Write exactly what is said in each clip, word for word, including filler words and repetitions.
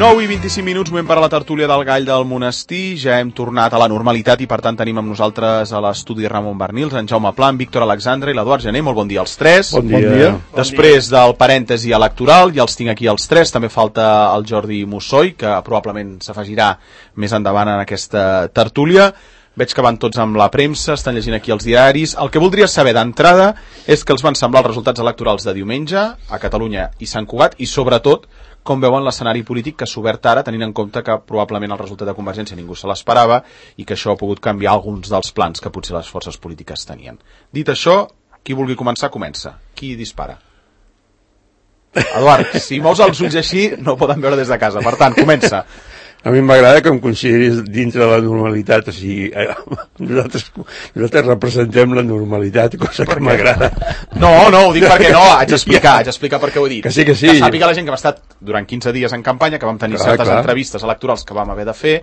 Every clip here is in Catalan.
nou i vint-i-cinc minuts, moment per a la tertúlia del Gall del Monestir. Ja hem tornat a la normalitat i per tant tenim amb nosaltres a l'estudi Ramon Barnils, en Jaume Pla, en Víctor Alexandre i l'Eduard Gené. Molt bon dia als tres. Bon dia. Bon dia. Després del parèntesi electoral, ja els tinc aquí els tres. També falta el Jordi Mussoi, que probablement s'afegirà més endavant en aquesta tertúlia. Veig que van tots amb la premsa, estan llegint aquí els diaris. El que voldria saber d'entrada és què els van semblar els resultats electorals de diumenge a Catalunya i Sant Cugat i, sobretot, com veuen l'escenari polític que s'ha obert ara, tenint en compte que probablement el resultat de Convergència ningú se l'esperava i que això ha pogut canviar alguns dels plans que potser les forces polítiques tenien. Dit això, qui vulgui començar, comença. Qui dispara? Eduard, si mous els ulls així no ho poden veure des de casa, per tant, comença. A mi m'agrada que em consideris dintre de la normalitat, o sigui, eh, nosaltres, nosaltres representem la normalitat, cosa que m'agrada. No, no, ho dic perquè no, haig d'explicar, haig d'explicar per què ho he dit. Que sí, que sí. Que sàpiga la gent que hem estat durant quinze dies en campanya, que vam tenir clar, certes clar. entrevistes electorals que vam haver de fer,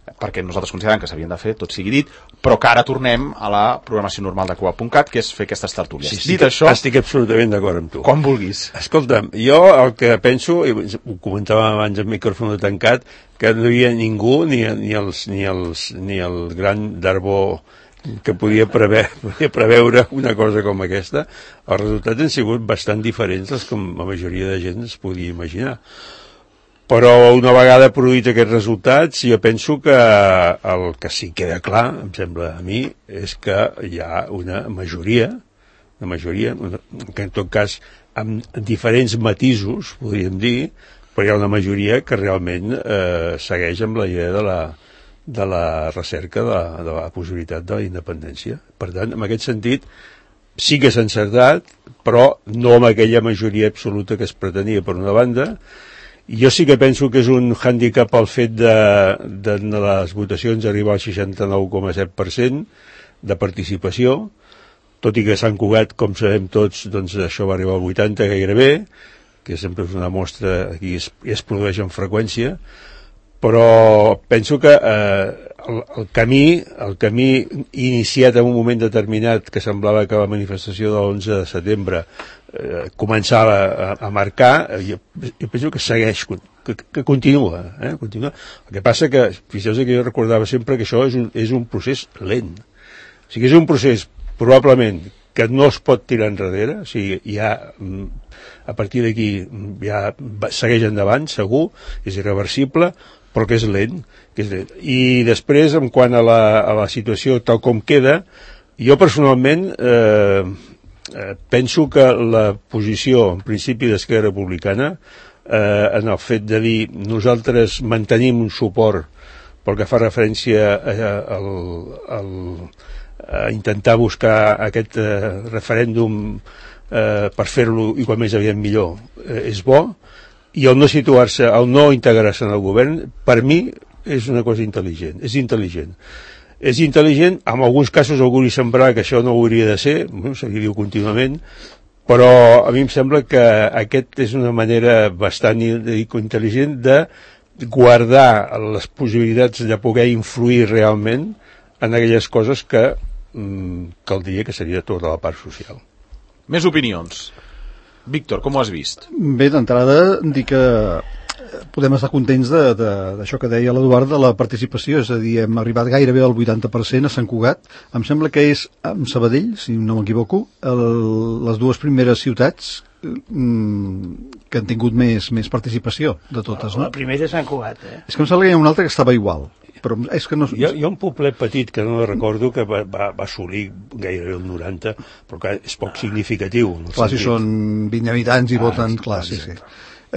perquè nosaltres considerem que s'havien de fer, tot sigui dit, però que ara tornem a la programació normal de Cugat punt cat, que és fer aquestes tertúlies. Sí, dit això... Estic absolutament d'acord amb tu. Com vulguis. Escolta'm, jo el que penso, i ho comentàvem abans amb micròfon tancat, que no hi havia ningú, ni, ni, els, ni, els, ni el gran Darbó que podia preveure, podia preveure una cosa com aquesta. Els resultats han sigut bastant diferents dels que la majoria de gent es podia imaginar. Però una vegada produït aquests resultats, jo penso que el que sí queda clar, em sembla a mi, és que hi ha una majoria, una majoria, que en tot cas amb diferents matisos, podríem dir, però hi ha una majoria que realment eh, segueix amb la idea de la, de la recerca de, de la possibilitat de la independència. Per tant, en aquest sentit, sí que s'ha encertat, però no amb aquella majoria absoluta que es pretenia per una banda. Jo sí que penso que és un hàndicap el fet de, de, de les votacions arribar al seixanta-nou coma set per cent de participació, tot i que Sant Cugat, com sabem tots, doncs això va arribar al vuitanta gairebé, que sempre és una mostra que es, es produeix amb freqüència, però penso que eh, el, el camí el camí iniciat en un moment determinat que semblava que la manifestació de l'onze de setembre eh, començava a, a marcar, jo, jo penso que segueix, que, que continua, eh, continua. El que passa que, fixeu-vos que jo recordava sempre que això és un, és un procés lent, o sigui, és un procés probablement que no es pot tirar enrere, o sigui, ja a partir d'aquí ja segueix endavant, segur, és irreversible, però que és lent, que és lent. I després, en quant a la, a la situació tal com queda, jo personalment eh, eh, penso que la posició, en principi, d'Esquerra Republicana, eh, en el fet de dir nosaltres mantenim un suport pel que fa referència a, a, a, a intentar buscar aquest eh, referèndum eh, per fer-lo igual més aviat millor, eh, és bo, i el no situar-se, el no integrar-se en el govern, per mi és una cosa intel·ligent, és intel·ligent. És intel·ligent, en alguns casos algú li semblarà que això no hauria de ser, no, se li diu contínuament, però a mi em sembla que aquest és una manera bastant intel·ligent de guardar les possibilitats de poder influir realment en aquelles coses que mm, caldria que seria tota la part social. Més opinions. Víctor, com ho has vist? Bé, d'entrada, dir que podem estar contents d'això que deia l'Eduard, de la participació, és a dir, hem arribat gairebé al vuitanta per cent a Sant Cugat. Em sembla que és amb Sabadell, si no m'equivoco, les dues primeres ciutats mm, que han tingut més, més participació de totes, no? La primera és Sant Cugat, eh? És que em sembla que hi ha una altra que estava igual. Però és que no... Hi ha, hi ha un poblet petit que no recordo que va, va, va assolir gairebé el noranta, però que és poc significatiu. Clar, si són vint habitants i ah, voten, clar, sí, sí.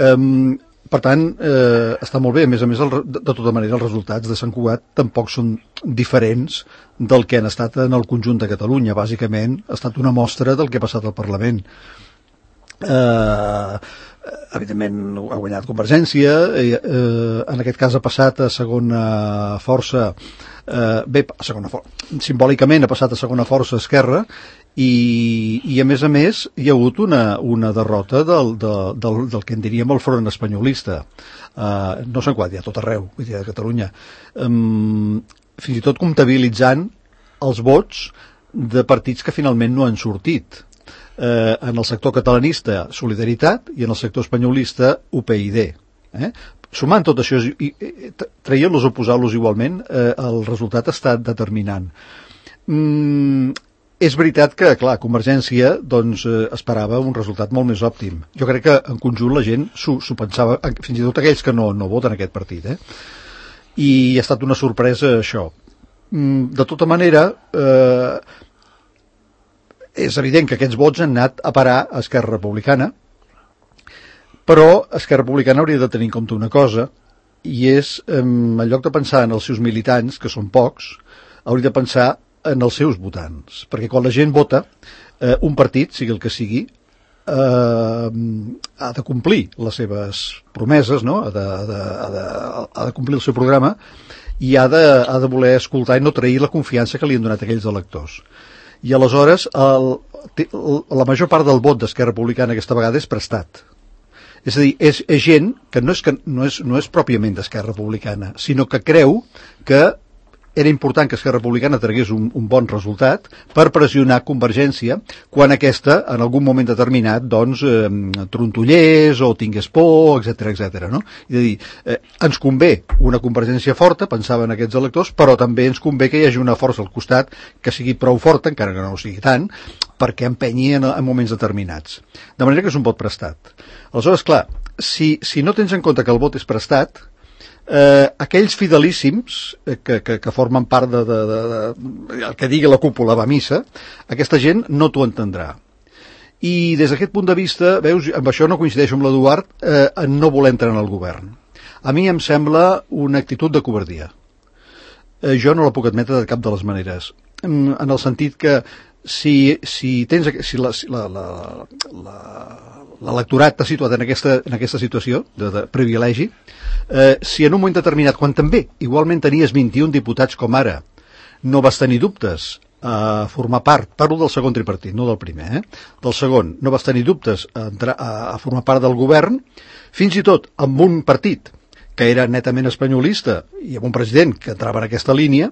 Um, per tant, eh, està molt bé. A més a més, el, de, de tota manera, els resultats de Sant Cugat tampoc són diferents del que han estat en el conjunt de Catalunya. Bàsicament, ha estat una mostra del que ha passat al Parlament. Eh... Uh, evidentment ha guanyat Convergència, eh, eh, en aquest cas ha passat a segona força, eh, bé, a segona força, simbòlicament ha passat a segona força Esquerra, i, i a més a més hi ha hagut una, una derrota del, del, del, del que en diríem el front espanyolista, eh, no sé quan, hi ha tot arreu, vull dir, a Catalunya, um, fins i tot comptabilitzant els vots de partits que finalment no han sortit. Eh, en el sector catalanista Solidaritat i en el sector espanyolista U P y D, eh? sumant tot això i, i traient-los o posant-los igualment, eh, el resultat ha estat determinant. Mm, és veritat que, clar, Convergència doncs, eh, esperava un resultat molt més òptim. Jo crec que en conjunt la gent s'ho pensava, fins i tot aquells que no, no voten aquest partit, eh? I ha estat una sorpresa això. Mm, de tota manera, eh, és evident que aquests vots han anat a parar a Esquerra Republicana, però Esquerra Republicana hauria de tenir en compte una cosa, i és, eh, en lloc de pensar en els seus militants, que són pocs, hauria de pensar en els seus votants, perquè quan la gent vota, eh, un partit, sigui el que sigui, eh, ha de complir les seves promeses, no? ha, de, ha, de, ha, de, ha de complir el seu programa i ha de, ha de voler escoltar i no trair la confiança que li han donat aquells electors. I aleshores el, la major part del vot d'Esquerra Republicana aquesta vegada és prestat. És a dir, és, és gent que no és, que no és, no és pròpiament d'Esquerra Republicana, sinó que creu que era important que Esquerra Republicana tragués un, un bon resultat per pressionar Convergència quan aquesta, en algun moment determinat, doncs, eh, trontollés o tingués por, etcètera, etcètera, no? És a dir, eh, ens convé una Convergència forta, pensaven aquests electors, però també ens convé que hi hagi una força al costat que sigui prou forta, encara que no ho sigui tant, perquè empenyi en, en moments determinats. De manera que és un vot prestat. Aleshores, clar, si, si no tens en compte que el vot és prestat, Eh, aquells fidelíssims eh, que, que, que formen part de, de, de, de el que digui la cúpula va a missa, aquesta gent no t'ho entendrà. I des d'aquest punt de vista, veus, amb això no coincideixo amb l'Eduard, eh, en no voler entrar en el govern. A mi em sembla una actitud de covardia. Eh, jo no la puc admetre de cap de les maneres. En, en el sentit que si, si tens si la, si la, la, la, l'electorat t'ha situat en aquesta, en aquesta situació de, de privilegi, eh, si en un moment determinat, quan també igualment tenies vint-i-un diputats com ara, no vas tenir dubtes a formar part, parlo del segon tripartit, no del primer, eh? del segon, no vas tenir dubtes a, entrar, a, a formar part del govern, fins i tot amb un partit que era netament espanyolista i amb un president que entrava en aquesta línia,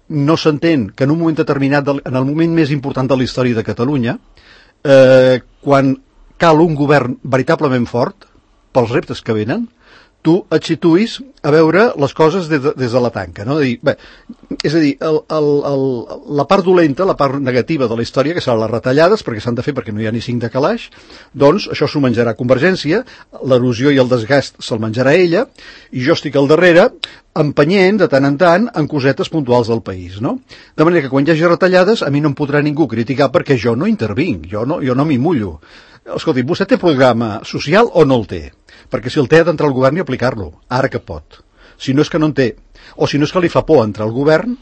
no s'entén que en un moment determinat, en el moment més important de la història de Catalunya, eh, quan cal un govern veritablement fort pels reptes que venen, tu et situïs a veure les coses des de, des de la tanca, no? Dir, bé, és a dir, el, el, el, la part dolenta, la part negativa de la història, que seran les retallades, perquè s'han de fer perquè no hi ha ni cinc de calaix, doncs això s'ho menjarà Convergència, l'erosió i el desgast se'l menjarà ella, i jo estic al darrere empenyent de tant en tant en cosetes puntuals del país, no? De manera que quan hi hagi retallades a mi no em podrà ningú criticar perquè jo no intervinc, jo no, jo no m'hi mullo. Escolti, vostè té programa social o no el té? Perquè si el té ha d'entrar al govern i aplicar-lo, ara que pot. Si no és que no en té, o si no és que li fa por entrar al govern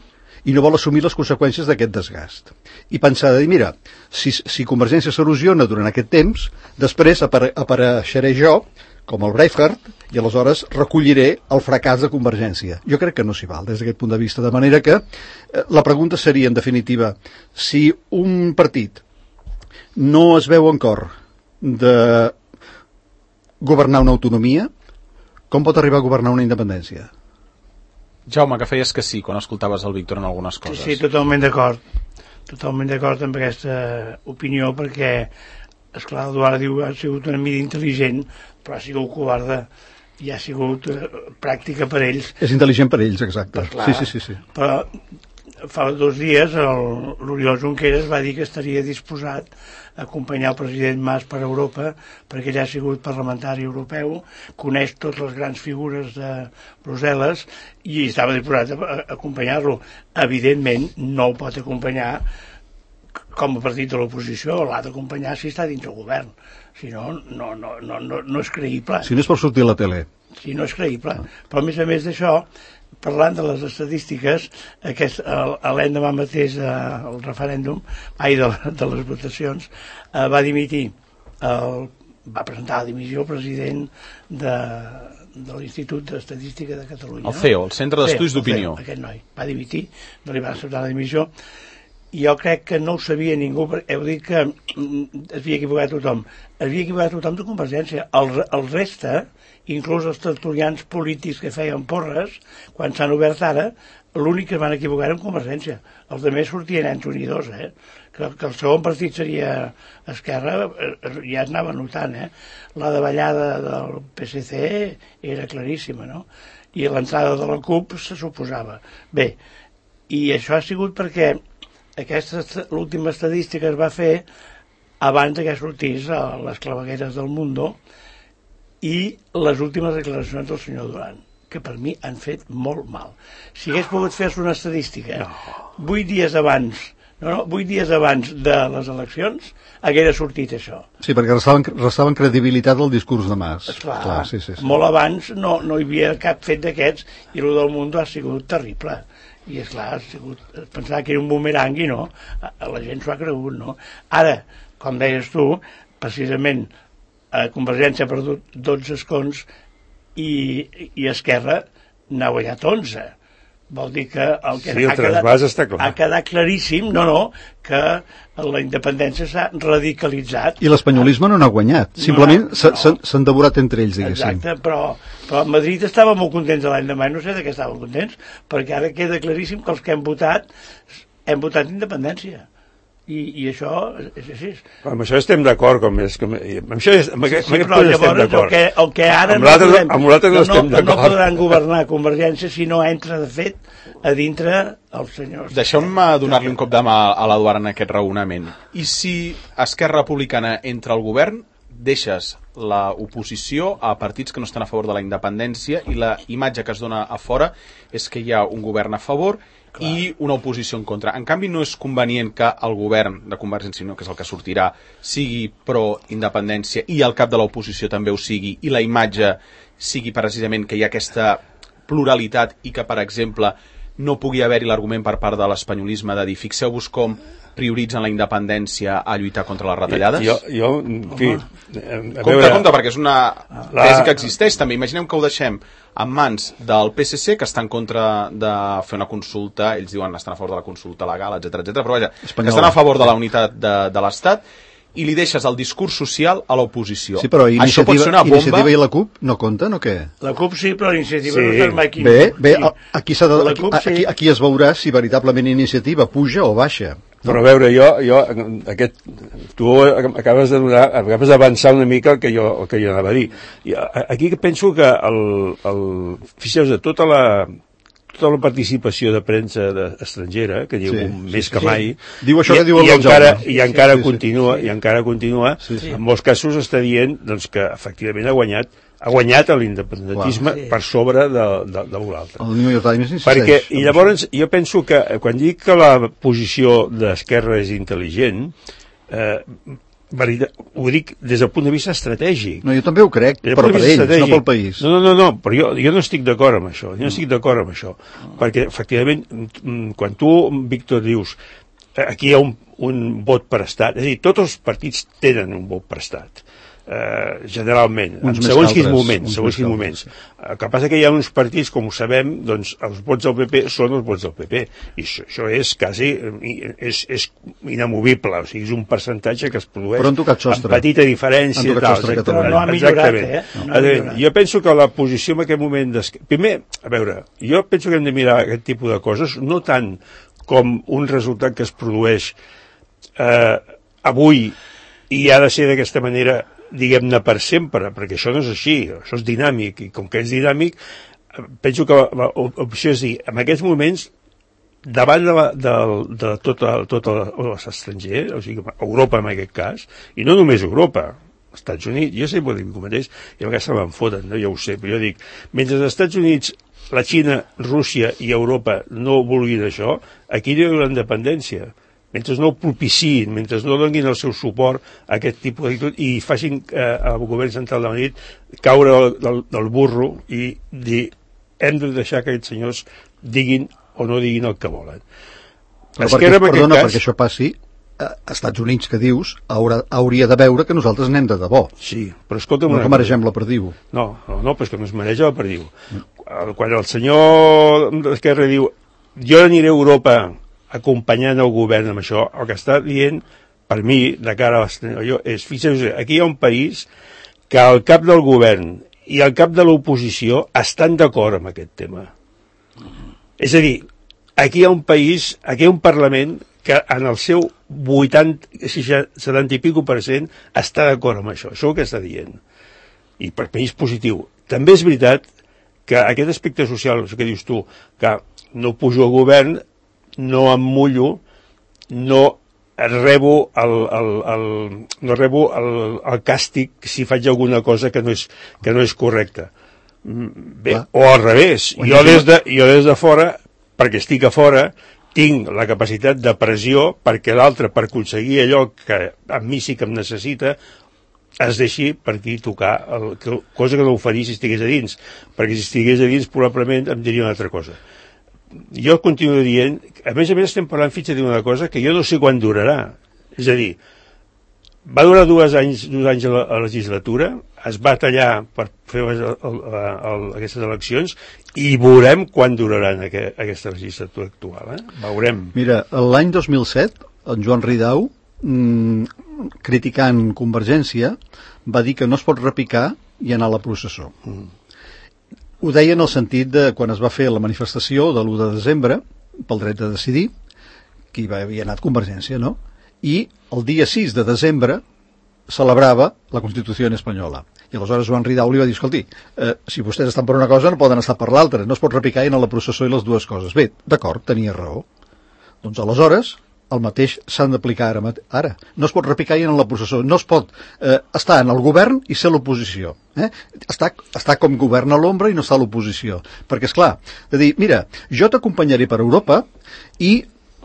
i no vol assumir les conseqüències d'aquest desgast. I pensar de dir, mira, si, si Convergència s'erosiona durant aquest temps, després apare apareixeré jo, com el Braveheart, i aleshores recolliré el fracàs de Convergència. Jo crec que no s'hi val des d'aquest punt de vista, de manera que eh, la pregunta seria, en definitiva, si un partit no es veu en cor de governar una autonomia, com pot arribar a governar una independència? Jaume, que feies que sí quan escoltaves el Víctor en algunes coses. Sí, sí, totalment d'acord. Totalment d'acord amb aquesta opinió, perquè, esclar, l'Eduard diu ha sigut una mida intel·ligent, però ha sigut covarda i ha sigut eh, pràctica per ells. És intel·ligent per ells, exacte. Però, clar, sí, sí, sí, sí. Però fa dos dies l'Oriol Junqueras va dir que estaria disposat a acompanyar el president Mas per Europa, perquè ell ha sigut parlamentari europeu, coneix totes les grans figures de Brussel·les i estava disposat a acompanyar-lo. Evidentment no el pot acompanyar com a partit de l'oposició, l'ha d'acompanyar si està dins el govern, si no, no, no, no, no, no és creïble. Si no és per sortir a la tele. Si no és creïble. Però a més a més d'això, parlant de les estadístiques, aquest, l'endemà mateix del referèndum, ai, de, de les votacions, eh, va dimitir, el, va presentar la dimissió el president de, de l'Institut d'Estadística de Catalunya. El C E O, el Centre d'Estudis d'Opinió. Aquest noi va dimitir, no li va acceptar la dimissió, i jo crec que no ho sabia ningú, heu dit que es havia equivocat tothom, es havia equivocat tothom de Convergència, el, el reste, inclús els tertulians polítics que feien porres, quan s'han obert ara, l'únic que es van equivocar era en Convergència. Els altres sortien entre un i dos, eh? Que, que el segon partit seria Esquerra, ja es anava notant, eh? La davallada del P S C era claríssima, no? I l'entrada de la CUP se suposava. Bé, i això ha sigut perquè aquesta, l'última estadística es va fer abans que sortís a les clavegueres del Mundo i les últimes declaracions del senyor Duran, que per mi han fet molt mal. Si hagués pogut fer-se una estadística vuit dies abans, no, no, vuit dies abans de les eleccions, haguera sortit això. Sí, perquè restaven, restaven credibilitat al discurs de Mas. Esclar, Clar, sí, sí, sí. Molt abans no, no hi havia cap fet d'aquests i el del Mundo ha sigut terrible. I esclar, ha sigut, pensava que era un bumerang i no, la gent s'ho ha cregut, no? Ara, com deies tu, precisament a Convergència ha perdut dotze escons i, i Esquerra n'ha guanyat onze. Vol dir que el que sí, el ha, quedat, està clar. ha quedat claríssim, no, no, que la independència s'ha radicalitzat. I l'espanyolisme no n'ha guanyat, simplement no, s'han no. no. devorat entre ells, diguéssim. Exacte, però, però a Madrid estava molt contents l'any demà, no sé de què estaven contents, perquè ara queda claríssim que els que hem votat hem votat independència. I, i això és així. Amb això estem d'acord, com és, com, amb això és, amb aquest, sí, amb però llavors el que, el que ara amb no, podem, amb no, no, estem no, no podran governar Convergència si no entra de fet a dintre els senyors. Deixeu-me donar-li un cop de mà a l'Eduard en aquest raonament. I si Esquerra Republicana entra al govern, deixes l'oposició a partits que no estan a favor de la independència i la imatge que es dona a fora és que hi ha un govern a favor Clar. I una oposició en contra. En canvi, no és convenient que el govern de Convergència i Unió, que és el que sortirà, sigui pro-independència i el cap de l'oposició també ho sigui, i la imatge sigui precisament que hi ha aquesta pluralitat i que, per exemple, no pugui haver-hi l'argument per part de l'espanyolisme de dir fixeu-vos com prioritzen la independència a lluitar contra les retallades? Jo, jo en fi... Compte, veure... compte, perquè és una la... tesi que existeix també. Imaginem que ho deixem en mans del P S C, que està en contra de fer una consulta, ells diuen que estan a favor de la consulta legal, etcètera, etcètera, però vaja, Espanyol. Que estan a favor de la unitat de, de l'Estat, i li deixes el discurs social a l'oposició. Sí, però Això pot ser una bomba... Iniciativa i la CUP no compten o què? La CUP sí, però l'Iniciativa sí. no està mai aquí. Bé, bé, sí. aquí, s'ha de, CUP, aquí, sí. aquí, aquí es veurà si veritablement Iniciativa puja o baixa. Però a veure, jo, jo aquest, tu acabes de donar, acabes d'avançar una mica el que jo, el que jo anava a dir. I aquí penso que el, el, fixeu-vos, de tota la, tota la participació de premsa de, estrangera, que diu sí, més sí, que mai, sí. Diu això i, que diu el i, encara, Jaume. i encara sí, continua, sí, sí. i encara continua, sí, sí. en molts casos està dient doncs, que efectivament ha guanyat ha guanyat l'independentisme sí. per sobre de, de, de l'altre. El New York Times insisteix. Perquè, i llavors, jo penso que quan dic que la posició d'Esquerra és intel·ligent, eh, ho dic des del punt de vista estratègic. No, jo també ho crec, però per ells, no pel país. No, no, no, no però jo, jo no estic d'acord amb això, jo no estic d'acord amb això, perquè, efectivament, quan tu, Víctor, dius aquí hi ha un, un vot per estat, és a dir, tots els partits tenen un vot per estat, Uh, generalment, en segons quins moments, segons quins moments. El que passa que hi ha uns partits, com ho sabem, doncs els vots del P P són els vots del P P, i això, això és quasi, és, és inamovible, o sigui, és un percentatge que es produeix amb petita diferència. Tal, però no ha millorat, eh? No ha millorat. Jo penso que la posició en aquest moment... Primer, a veure, jo penso que hem de mirar aquest tipus de coses, no tant com un resultat que es produeix eh, avui i ha de ser d'aquesta manera diguem-ne per sempre, perquè això no és així, això és dinàmic, i com que és dinàmic penso que l'opció és dir, en aquests moments davant de, la, de, de tot, tot l'estranger, o sigui, Europa en aquest cas, i no només Europa, els Estats Units, jo sempre ho dic com mateix, i a vegades se me'n foten, no? Ja ho sé, però jo dic, mentre els Estats Units, la Xina, Rússia i Europa no vulguin això, aquí no hi haurà independència. Mentre no ho propiciïn, mentre no donin el seu suport a aquest tipus d'actitud i facin eh, al govern central de Madrid caure del, del burro i dir hem de deixar que aquests senyors diguin o no diguin el que volen. Però perquè, perdona, cas... perquè això passi, als Estats Units que dius haurà, hauria de veure que nosaltres anem de debò. Sí, però escolta'm... No que maregem la perdiu. No, no, no, però és que no es mareja la perdiu. Mm. Quan el senyor d'Esquerra diu jo aniré a Europa acompanyant el govern amb això, el que està dient per mi, de cara a l'estranyo, és, fixeu-vos, aquí hi ha un país que el cap del govern i el cap de l'oposició estan d'acord amb aquest tema. És a dir, aquí hi ha un país, aquí hi ha un Parlament que en el seu vuitanta, setanta i pico per cent està d'acord amb això, això és el que està dient. I per mi és positiu. També és veritat que aquest aspecte social, això que dius tu, que no pujo al govern, no em mullo, no rebo el, el, el, no rebo el, el càstig si faig alguna cosa que no és, que no és correcta. Bé, ah. o al revés, jo des, de, jo des de fora, perquè estic a fora, tinc la capacitat de pressió perquè l'altre, per aconseguir allò que a mi sí que em necessita, es deixi per aquí tocar, el, que, cosa que no ho faria si estigués a dins, perquè si estigués a dins probablement em diria una altra cosa. Jo continuo dient, a més a més estem parlant fins a dir una cosa que jo no sé quan durarà, és a dir, va durar dos anys, dos anys a la, a la legislatura, es va tallar per fer el, el, el, aquestes eleccions i veurem quan duraran aqu aquesta legislatura actual, eh? Veurem. Mira, l'any dos mil set, en Joan Ridao, mmm, criticant Convergència, va dir que no es pot repicar i anar a la processó. Mm. Ho deia en el sentit de quan es va fer la manifestació de l'u de desembre pel dret de decidir, que hi havia anat Convergència, no? I el dia sis de desembre celebrava la Constitució espanyola. I aleshores Joan Ridao li va dir, escolti, eh, si vostès estan per una cosa no poden estar per l'altra, no es pot repicar i anar a la processó i les dues coses. Bé, d'acord, tenia raó. Doncs aleshores el mateix s'han d'aplicar ara, ara. No es pot repicar i anar a la processó. No es pot eh, estar en el govern i ser l'oposició. Eh? Està, està com govern a l'ombra i no està a l'oposició. Perquè, és clar, de dir, mira, jo t'acompanyaré per Europa i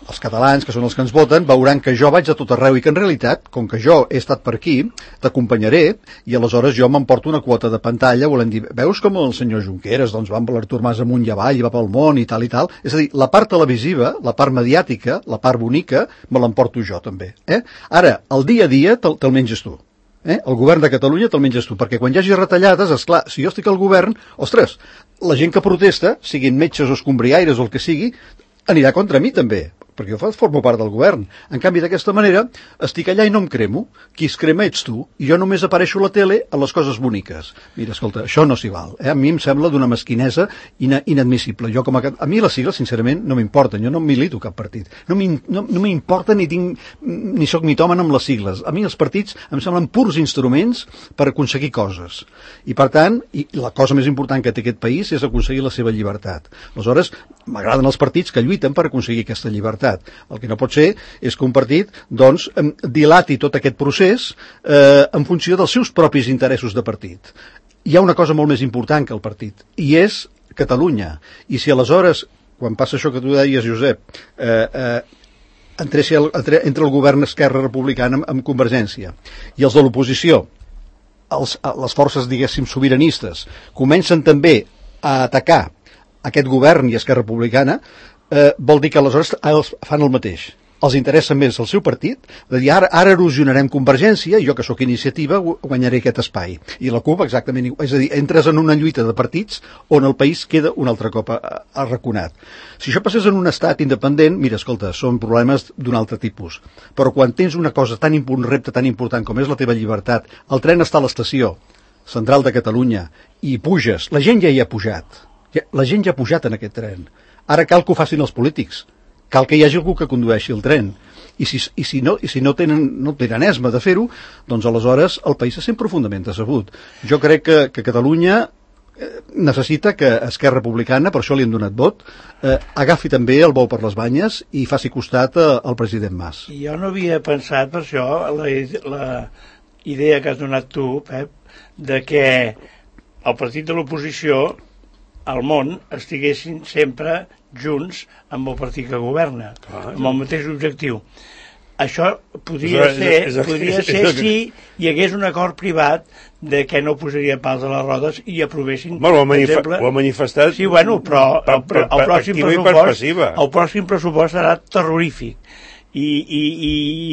els catalans, que són els que ens voten, veuran que jo vaig a tot arreu i que en realitat, com que jo he estat per aquí, t'acompanyaré i aleshores jo m'emporto una quota de pantalla, volem dir, veus com el senyor Junqueras doncs va amb l'Artur Mas amunt i avall i va pel món i tal i tal, és a dir, la part televisiva, la part mediàtica, la part bonica, me l'emporto jo també. Eh? Ara, el dia a dia te'l te menges tu. Eh? El govern de Catalunya te'l menges tu, perquè quan hi hagi retallades, esclar, si jo estic al govern, ostres, la gent que protesta, siguin metges o escombriaires o el que sigui, anirà contra mi també, perquè jo formo part del govern. En canvi, d'aquesta manera, estic allà i no em cremo. Qui es crema ets tu, i jo només apareixo a la tele a les coses boniques. Mira, escolta, això no s'hi val. Eh? A mi em sembla d'una mesquinesa ina inadmissible. Jo com a, a mi les sigles, sincerament, no m'importen. Jo no milito cap partit. No m'importa no, no ni tinc ni soc mitòman amb les sigles. A mi els partits em semblen purs instruments per aconseguir coses. I per tant, i la cosa més important que té aquest país és aconseguir la seva llibertat. Aleshores, m'agraden els partits que lluiten per aconseguir aquesta llibertat. El que no pot ser és que un partit doncs, dilati tot aquest procés eh, en funció dels seus propis interessos de partit. Hi ha una cosa molt més important que el partit, i és Catalunya. I si aleshores, quan passa això que tu deies, Josep, eh, eh, entre, entre, entre el govern Esquerra Republicana amb, amb Convergència i els de l'oposició, els, les forces, diguéssim, sobiranistes, comencen també a atacar aquest govern i Esquerra Republicana, Eh, vol dir que aleshores fan el mateix. Els interessa més el seu partit, de dir ara, ara erosionarem Convergència i jo que sóc iniciativa guanyaré aquest espai. I la CUP exactament igual. És a dir, entres en una lluita de partits on el país queda un altre cop arraconat. Si això passés en un estat independent, mira, escolta, són problemes d'un altre tipus. Però quan tens una cosa tan un repte tan important com és la teva llibertat, el tren està a l'estació central de Catalunya i puges, la gent ja hi ha pujat. Ja, la gent ja ha pujat en aquest tren. Ara cal que ho facin els polítics. Cal que hi hagi algú que condueixi el tren. I si, i si, no, i si no, tenen, no tenen esma de fer-ho, doncs aleshores el país se sent profundament decebut. Jo crec que, que Catalunya eh, necessita que Esquerra Republicana, per això li han donat vot, eh, agafi també el bou per les banyes i faci costat eh, al president Mas. Jo no havia pensat per això la, la idea que has donat tu, Pep, de que el partit de l'oposició al món estiguessin sempre junts amb el partit que governa, ah, amb el mateix objectiu. Això podria és, ser, és, és, podria és, ser és, és, si hi hagués un acord privat de que no posaria pals a les rodes i aprovessin, bueno, per exemple... Ho ha manifestat... Sí, bueno, però el, el, el, pròxim pressupost, el pròxim pressupost serà terrorífic. I, i,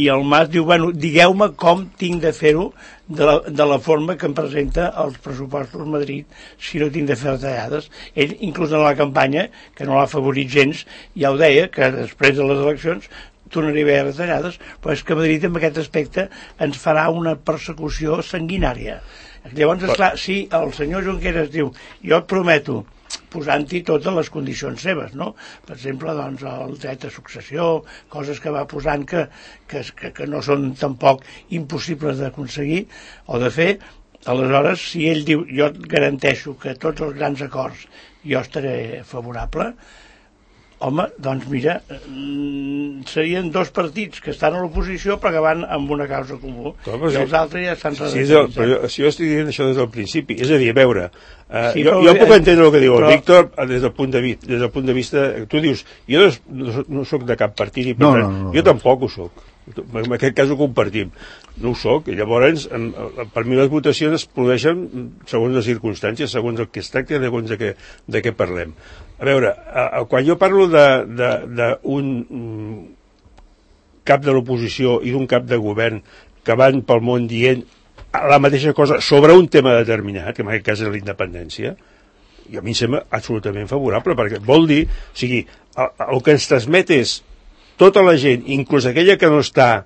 i el Mas diu, bueno, digueu-me com tinc de fer-ho de, la, de la forma que em presenta els pressupostos a Madrid si no tinc de fer retallades. Ell, inclús en la campanya, que no l'ha favorit gens, ja ho deia, que després de les eleccions tornaria a haver retallades, però és que Madrid en aquest aspecte ens farà una persecució sanguinària. Llavors, esclar, si el senyor Junqueras diu, jo et prometo posant-hi totes les condicions seves, no? Per exemple, doncs, el dret de successió, coses que va posant que, que, que, que no són tampoc impossibles d'aconseguir o de fer. Aleshores, si ell diu, jo et garanteixo que tots els grans acords jo estaré favorable, home, doncs mira, serien dos partits que estan a l'oposició però que van amb una causa comú. Com, i els altres ja estan redactats. Si, però si jo estic dient això des del principi, és a dir, a veure, uh, sí, jo, jo puc entendre el que diu però... el Víctor des del punt de vista, des del punt de vista, tu dius, jo no, no, no soc de cap partit, i per no, tant, no, no, jo no. tampoc ho soc. En aquest cas ho compartim. No ho soc, i llavors per mi les votacions es produeixen segons les circumstàncies, segons el que es tracta i segons de què, de què parlem. A veure, quan jo parlo d'un cap de l'oposició i d'un cap de govern que van pel món dient la mateixa cosa sobre un tema determinat, que en aquest cas és la independència, i a mi em sembla absolutament favorable, perquè vol dir, o sigui, el, el que ens transmet és tota la gent, inclús aquella que no està,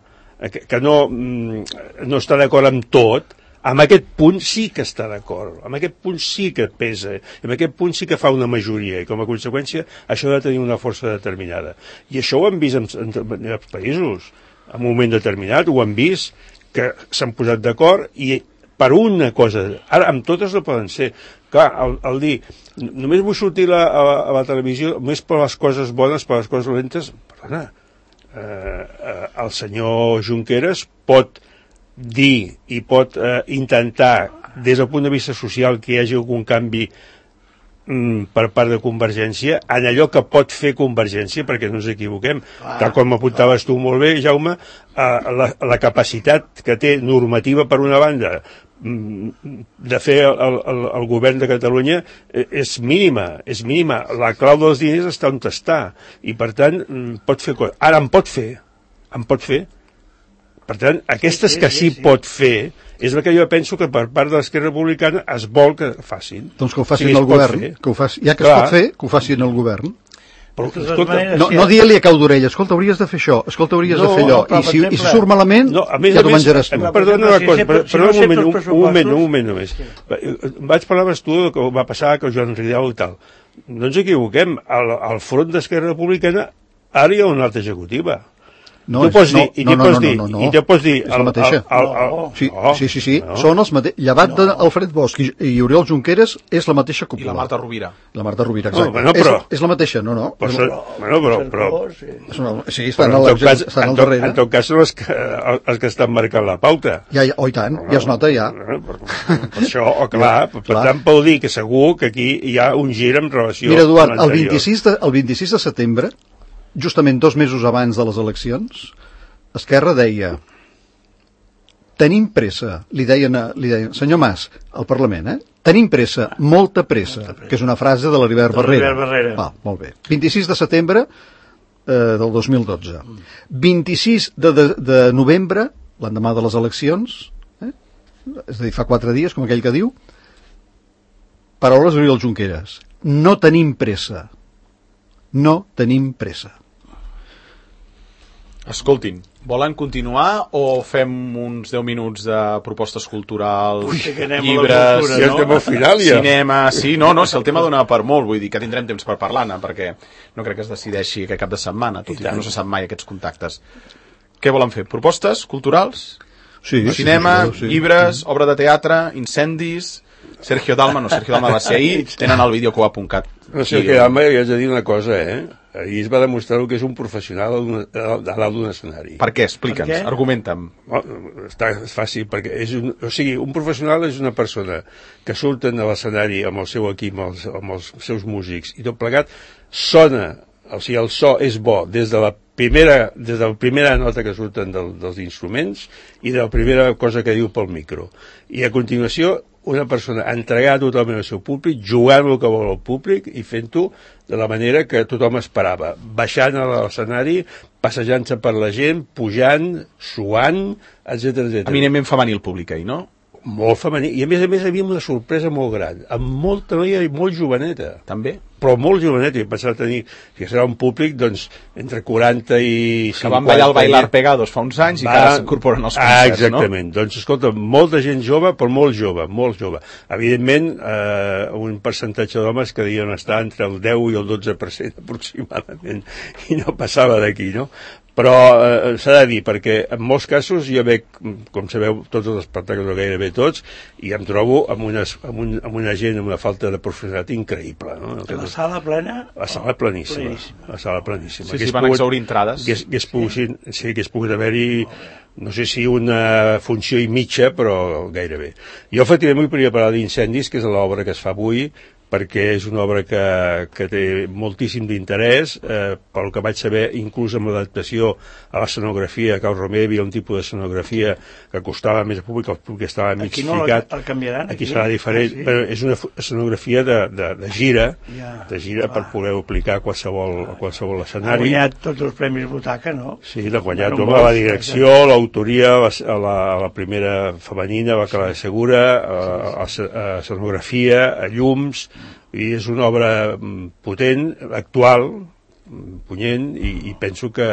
que, que no, no està d'acord amb tot, en aquest punt sí que està d'acord, en aquest punt sí que pesa, en aquest punt sí que fa una majoria, i com a conseqüència això ha de tenir una força determinada. I això ho hem vist en, en, en els països, en un moment determinat, ho hem vist, que s'han posat d'acord, i per una cosa, ara amb totes no poden ser. Clar, el, el dir, només vull sortir la, a, la, a la televisió, només per les coses bones, per les coses dolentes, perdona, eh, eh, el senyor Junqueras pot dir i pot eh, intentar, des del punt de vista social, que hi hagi algun canvi mm, per part de Convergència, en allò que pot fer Convergència, perquè no ens equivoquem. Ah, tal com apuntaves tu molt bé, Jaume, eh, la, la capacitat que té normativa per una banda de fer el, el, el govern de Catalunya és mínima, és mínima. La clau dels diners està on està, i per tant pot fer coses. Ara en pot fer, en pot fer. Per tant, aquestes que sí pot fer és el que jo penso que per part de l'Esquerra Republicana es vol que facin. Doncs que ho facin el govern, que ho faci, ja que es pot fer, que ho facin el govern. Però, escolta, no, no dia-li a cau d'orella, escolta, hauries de fer això, escolta, hauries no, de fer allò, no, i, si, exemple, i si surt malament, no, a més, ja t'ho menjaràs tu. Perdona una cosa, però, però un moment, un, un moment, un moment només. Sí. Vaig parlar tu del que va passar que el Joan Ridao i tal. No ens equivoquem, al, al front d'Esquerra Republicana ara hi ha una altra executiva. No, tu pots no, dir, i no, tu no, pots no, dir, no, no, i tu pots dir... És la mateixa. El, el, el, sí, no, sí, sí, sí, no. són els mateixos. Llevat no. d'Alfred Bosch i, i Oriol Junqueras és la mateixa cúpula. I la Marta Rovira. La Marta Rovira, exacte. No, bueno, però, és, és la mateixa, no, no. Però, no, no bueno, però, però, però, sí, estan, al, cas, estan al darrere. En tot cas són els que, els que estan marcant la pauta. Ja, ja, oh, i tant, ja es nota, ja. Per, per, per això, oh, clar, ja, per clar. tant vol dir que segur que aquí hi ha un gir en relació... Mira, Eduard, el vint-i-sis de, el vint-i-sis de setembre, justament dos mesos abans de les eleccions, Esquerra deia, tenim pressa, li deien, li deien, senyor Mas, al Parlament, eh? Tenim pressa, molta pressa, molta pressa. Que és una frase de l'Heribert Barrera. Barrera. Ah, molt bé. vint-i-sis de setembre eh, del dos mil dotze. vint-i-sis de, de, de novembre, l'endemà de les eleccions, eh? És a dir, fa quatre dies, com aquell que diu, paraules d'Oriol Junqueras, no tenim pressa, no tenim pressa. Escoltin, volen continuar o fem uns deu minuts de propostes culturals, Ui, llibres, cultura, no? Ja al final, ja. cinema... Sí, no, no, si el tema dona per molt, vull dir que tindrem temps per parlar-ne, perquè no crec que es decideixi aquest cap de setmana, tot i, i que no se sap mai aquests contactes. Què volen fer? Propostes culturals? Sí, cinema, sí, sí, sí. llibres, obra de teatre, incendis... Sergio Dalma, no, Sergio Dalma va ser ahir, tenen el vídeo que ho ha puncat. No, Sergio Dalma, jo haig de dir una cosa, eh? Ahir es va demostrar que és un professional a dalt d'un escenari. Per què? Explica'ns, per què? Argumenta'm. Oh, està fàcil, perquè és un, o sigui, un professional és una persona que surten a l'escenari amb el seu equip, amb els, amb els seus músics, i tot plegat sona, o sigui, el so és bo des de la primera, des de la primera nota que surten del, dels instruments i de la primera cosa que diu pel micro. I a continuació una persona entregada totalment al seu públic, jugant el que vol el públic i fent-ho de la manera que tothom esperava, baixant a l'escenari, passejant-se per la gent, pujant, suant, etcètera, etcètera. Eminentment femení el públic ahir, no? molt femení, i a més a més hi havia una sorpresa molt gran, amb molta noia i molt joveneta. També? Però molt joveneta, i pensava tenir, que serà un públic, doncs, entre quaranta i cinquanta... Que van ballar el Bailar Pegados fa uns anys i que ara s'incorporen als concerts, ah, exactament. No? Doncs, escolta, molta gent jove, però molt jove, molt jove. Evidentment, eh, un percentatge d'homes que devien estar entre el deu i el dotze per cent aproximadament, i no passava d'aquí, no? Però eh, s'ha de dir, perquè en molts casos jo veig, com sabeu, tots els espectacles, gairebé tots, i em trobo amb, unes, amb, un, amb una gent amb una falta de professionalitat increïble. No? La sala plena? La sala pleníssima. pleníssima. La sala pleníssima. Sí, sí, van pogut, exaurir entrades. Que hagués pogut, sí. Sí, que hagués pogut haver-hi, no sé si una funció i mitja, però gairebé. Jo, efectivament, volia parlar d'Incendis, que és l'obra que es fa avui, perquè és una obra que, que té moltíssim d'interès, eh, pel que vaig saber, inclús amb l'adaptació a l'escenografia, a Cal Romer hi havia un tipus d'escenografia que costava més al públic, el públic estava mig aquí no ficat. El canviaran, aquí, aquí serà diferent, ah, sí. Però és una escenografia de, de, de gira, ja, de gira per poder aplicar a qualsevol, a qualsevol escenari. Ha guanyat tots els premis Butaca, no? Sí, l'ha guanyat no, la direcció, l'autoria, la, la, la primera femenina, la que la segura, a, a, a escenografia, a llums, i és una obra potent, actual, punyent, i, i penso que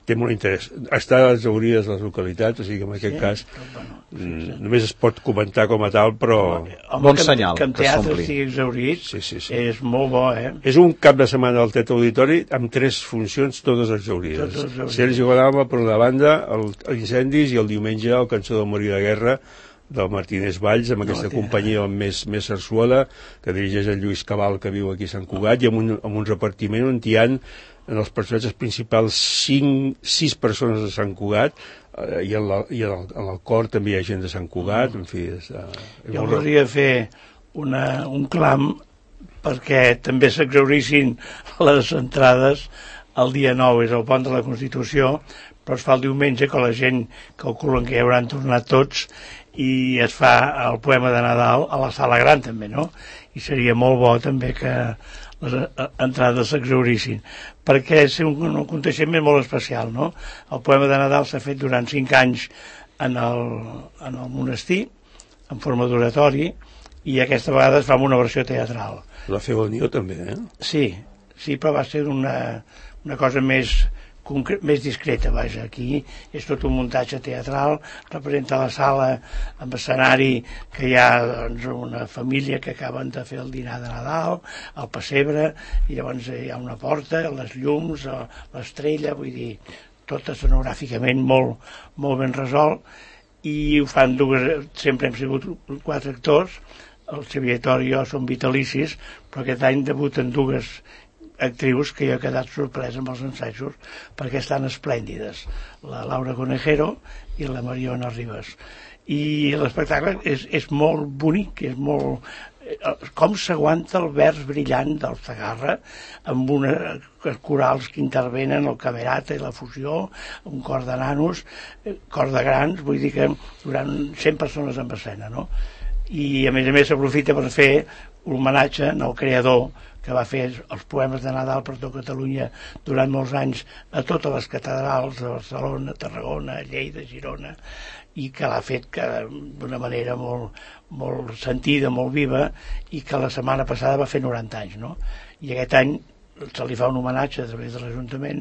té molt interès. Està exaurides les localitats, o sigui que en aquest sí, cas bueno, sí, sí. només es pot comentar com a tal, però... Home, bon que, senyal, que en teatre estigui exaurit sí, sí, sí. és molt bo, eh? És un cap de setmana al Teatre Auditori amb tres funcions, totes exaurides. Sergi Godalba, per una banda, el, el Incendis, i el diumenge el Cançó del Morir de Guerra, del Martínez Valls, amb aquesta no, companyia amb més, més sarsuela, que dirigeix el Lluís Cabal, que viu aquí a Sant Cugat, i amb un, amb un repartiment on hi ha en els personatges principals cinc, sis persones de Sant Cugat, eh, i, en la, i en, el, en el cor també hi ha gent de Sant Cugat, en fi... És, eh, és jo voldria fer una, un clam perquè també s'exaurissin les entrades el dia nou, és el pont de la Constitució, però es fa el diumenge, que la gent calculen que ja hauran tornat tots, i es fa el poema de Nadal a la sala gran també, no? I seria molt bo també que les entrades s'exaurissin, perquè és un, un aconteixement molt especial, no? El poema de Nadal s'ha fet durant cinc anys en el, en el monestir, en forma d'oratori, i aquesta vegada es fa amb una versió teatral. La feu al Nió també, eh? Sí, sí, però va ser una, una cosa més... més discreta, vaja, aquí és tot un muntatge teatral, representa la sala amb escenari que hi ha doncs, una família que acaben de fer el dinar de Nadal, el pessebre, i llavors hi ha una porta, les llums, l'estrella, vull dir, tot escenogràficament molt, molt ben resolt, i ho fan dues, sempre hem sigut quatre actors, el Xavier Tor i jo som vitalicis, però aquest any debuten dues actrius que jo he quedat sorprès amb els ensajos perquè estan esplèndides, la Laura Conejero i la Mariona Ribas, i l'espectacle és, és molt bonic, és molt... com s'aguanta el vers brillant del Segarra amb unes corals que intervenen, el camerata i la fusió, un cor de nanos, cor de grans, vull dir que durant cent persones en escena, no? I a més a més s'aprofita per fer un homenatge al creador que va fer els poemes de Nadal per tot Catalunya durant molts anys a totes les catedrals de Barcelona, Tarragona, Lleida, Girona, i que l'ha fet d'una manera molt, molt sentida, molt viva, i que la setmana passada va fer noranta anys, no? I aquest any se li fa un homenatge a través de l'Ajuntament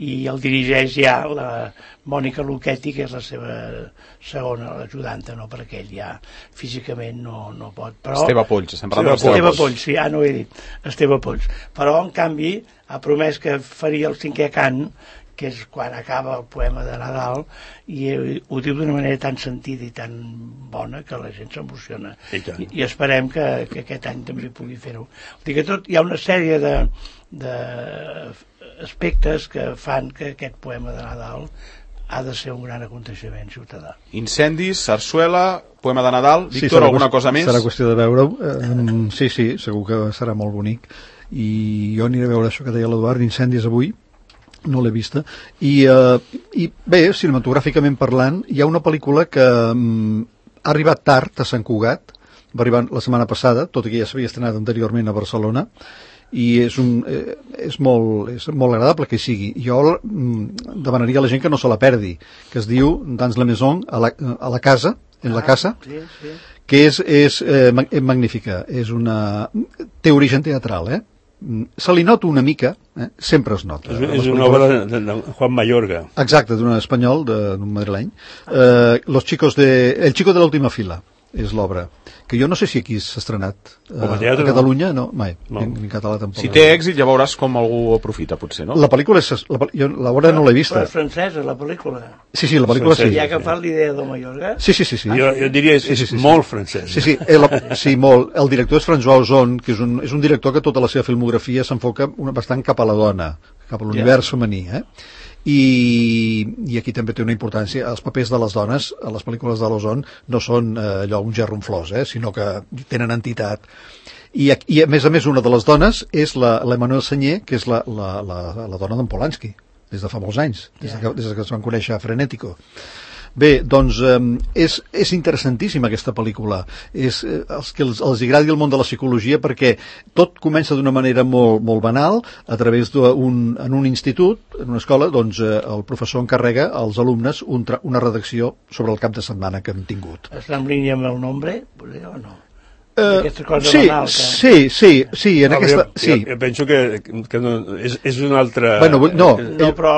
i el dirigeix ja la Mònica Luchetti, que és la seva segona, l'ajudanta, no? Perquè ell ja físicament no, no pot. Però... Esteve Polls, estem parlant d'Esteve Polls. Esteve Polls, sí, ah, no ho he dit, Esteve Polls. Però, en canvi, ha promès que faria el cinquè cant, que és quan acaba el poema de Nadal, i ho diu d'una manera tan sentida i tan bona que la gent s'emociona. I, I, i esperem que, que aquest any també pugui fer-ho. Dic que tot, hi ha una sèrie de, de aspectes que fan que aquest poema de Nadal ha de ser un gran aconteixement ciutadà. Incendis, sarsuela, poema de Nadal. Sí, Víctor, alguna cosa més? Serà qüestió de veure-ho. Eh, sí, sí, segur que serà molt bonic. I jo aniré a veure això que deia l'Eduard, d'Incendis avui, no l'he vista, i, uh, i bé, cinematogràficament parlant, hi ha una pel·lícula que um, ha arribat tard a Sant Cugat, va arribar la setmana passada, tot i que ja s'havia estrenat anteriorment a Barcelona, i és, un, eh, és, molt, és molt agradable que hi sigui. Jo mm, demanaria a la gent que no se la perdi, que es diu Dans la Maison, a la, a la casa, en la casa, sí, sí. que és, és eh, magnífica. És una... té origen teatral, eh? Se li nota una mica, eh? Sempre es nota. És, és una obra de, de, de Juan Mayorga. Exacte, d'un espanyol, d'un madrileny. Eh, los chicos de... El chico de l'última fila és l'obra, que jo no sé si aquí s'ha estrenat eh, a Catalunya, no, mai, no. Ni, ni en català tampoc. Si té èxit ja veuràs com algú aprofita, potser, no? La pel·lícula és... La, jo l'obra no l'he vista. Però és francesa, la pel·lícula. Sí, sí, la pel·lícula sí. I ha agafat l'idea de Mallorca? Sí, sí, sí. sí. Jo, jo diria que és, sí, sí, sí, molt sí. francès. Sí, sí, el, sí, molt. El director és François Ozon, que és un, és un director que tota la seva filmografia s'enfoca bastant cap a la dona, cap a l'univers yeah. femení, eh? I, i aquí també té una importància. Els papers de les dones a les pel·lícules de l'Ozon no són eh, allò un gerronflós, eh, sinó que tenen entitat. I, i a més a més una de les dones és l'Emmanuel Sagnier, que és la, la, la, la dona d'en Polanski des de fa molts anys, des de que, des de que es van conèixer a Frenético. Bé, doncs eh, és, és interessantíssima aquesta pel·lícula. És eh, els que els, els agradi el món de la psicologia, perquè tot comença d'una manera molt, molt banal, a través d'un en un institut, en una escola, doncs eh, el professor encarrega als alumnes un tra una redacció sobre el cap de setmana que hem tingut. Està en línia amb el nombre, o no? Uh, sí, banal, que... sí, sí, sí, en no, aquesta... Jo, sí. jo, jo penso que, que no, és, és una altra... Bueno, no, no, però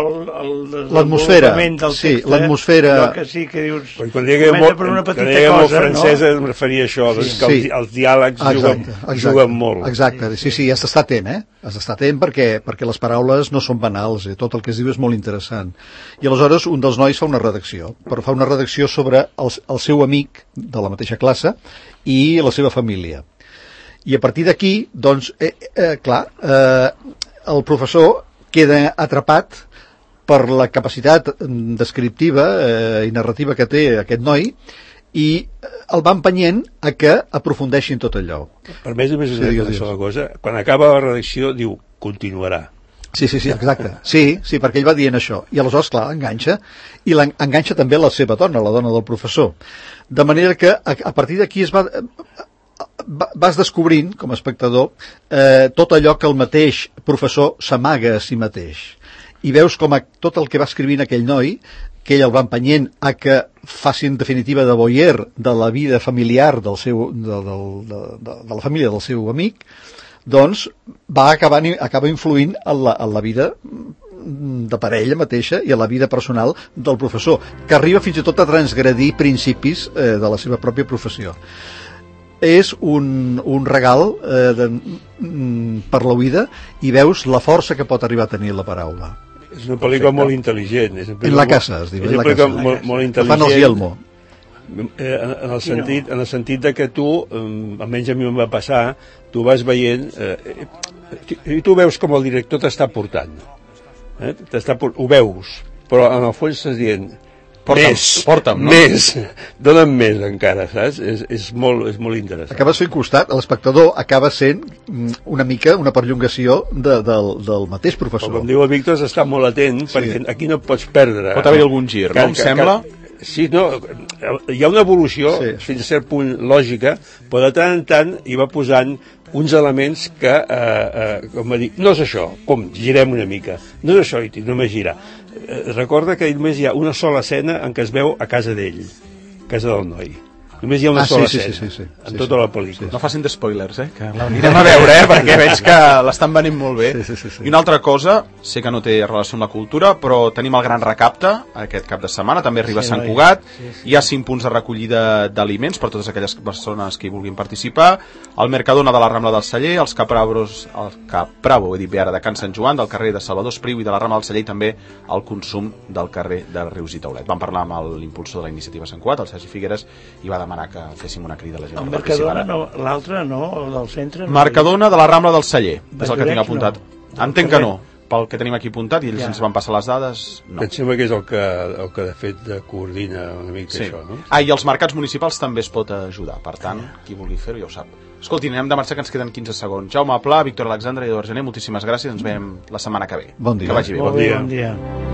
l'atmosfera, sí, l'atmosfera... Que sí, que dius... Quan diguem molt, per una petita cosa, molt francesa, no? em referia a això, sí, doncs, que sí. els, els diàlegs exacte, juguen, exacte, juguen molt. Exacte, sí, sí, has d'estar atent, eh? Has d'estar atent perquè, perquè les paraules no són banals, eh? Tot el que es diu és molt interessant. I aleshores un dels nois fa una redacció, però fa una redacció sobre el, el seu amic de la mateixa classe i la seva família. I a partir d'aquí, doncs, eh, eh, clar, eh, el professor queda atrapat per la capacitat descriptiva eh, i narrativa que té aquest noi i el va empenyent a que aprofundeixin tot allò. Per més a més, sí, una sola cosa, quan acaba la redacció diu, continuarà. Sí, sí, sí, exacte. Sí, sí, perquè ell va dient això. I aleshores, clar, enganxa. I enganxa també la seva dona, la dona del professor. De manera que a, a partir d'aquí es va... vas descobrint, com a espectador, eh, tot allò que el mateix professor s'amaga a si mateix. I veus com a, tot el que va escrivint aquell noi, que ell el va empenyent a que faci en definitiva de voyeur de la vida familiar del seu, de, de, de, de, de la família del seu amic, doncs va acabar, acaba influint en la, en la vida de parella mateixa i a la vida personal del professor, que arriba fins i tot a transgredir principis eh, de la seva pròpia professió. És un, un regal eh, de, mm, per la vida i veus la força que pot arribar a tenir la paraula. És una pel·lícula molt intel·ligent. És en la casa, es diu. És una pel·lícula molt, molt intel·ligent. Fan els Yelmo. Eh, en, en, el sentit, en el sentit de que tu, eh, almenys a mi em va passar, tu vas veient, eh, i tu veus com el director t'està portant. Eh? T'està, ho veus, però en el fons estàs dient... Porta'm, més, porta'm, no? Més, dona'm més encara, saps? És, és, molt, és molt interessant. Acabes fent costat, l'espectador acaba sent una mica una perllongació de, del, del mateix professor. Però com diu el Víctor, està molt atent, sí. Perquè aquí no pots perdre. Pot haver algun gir, no? Em sembla... Sí, no, hi ha una evolució, sí. Fins a cert punt lògica, però de tant en tant hi va posant uns elements que, eh, eh, com va dir, no és això, com, girem una mica, no és això, i només girar. Eh, recorda que només hi ha una sola escena en què es veu a casa d'ell, a casa del noi. Només hi ha una ah, sola sí, escena, sí, sí, sí, en sí, tota sí, la pel·lícula. sí. No facin de spoilers, eh, que l'anirem a veure, eh, perquè veig que l'estan venint molt bé. Sí, sí, sí, sí. I una altra cosa, sé que no té relació amb la cultura, però tenim el Gran Recapte aquest cap de setmana, també arriba sí, a Sant Cugat, sí, sí. Hi ha cinc punts de recollida d'aliments per totes aquelles persones que hi vulguin participar, el Mercadona de la Rambla del Celler, els Capravos, el Capravo, he dit bé ara, de Can Sant Joan, del carrer de Salvador Espriu i de la Rambla del Celler, i també el consum del carrer de Rius i Taulet. Vam parlar amb l'impulsor de la iniciativa Sant Cugat, el Sergi Figueres, i va demanar que féssim una crida a la gent. El Mercadona, no, l'altre no, el del centre. No. Mercadona de la Rambla del Celler, és el que tinc apuntat. No. Entenc que no, pel que tenim aquí apuntat, i ells ja. Ens van passar les dades, no. Em sembla que és el que, el que de fet coordina una mica sí. Això, no? Ah, i els mercats municipals també es pot ajudar, per tant, qui vulgui fer-ho ja ho sap. Escolti, anem de marxar, que ens queden quinze segons. Jaume Pla, Víctor Alexandre i Eduard Gené, moltíssimes gràcies, ens veiem la setmana que ve. Bon dia. Que vagi bé. Bon dia. Bon dia.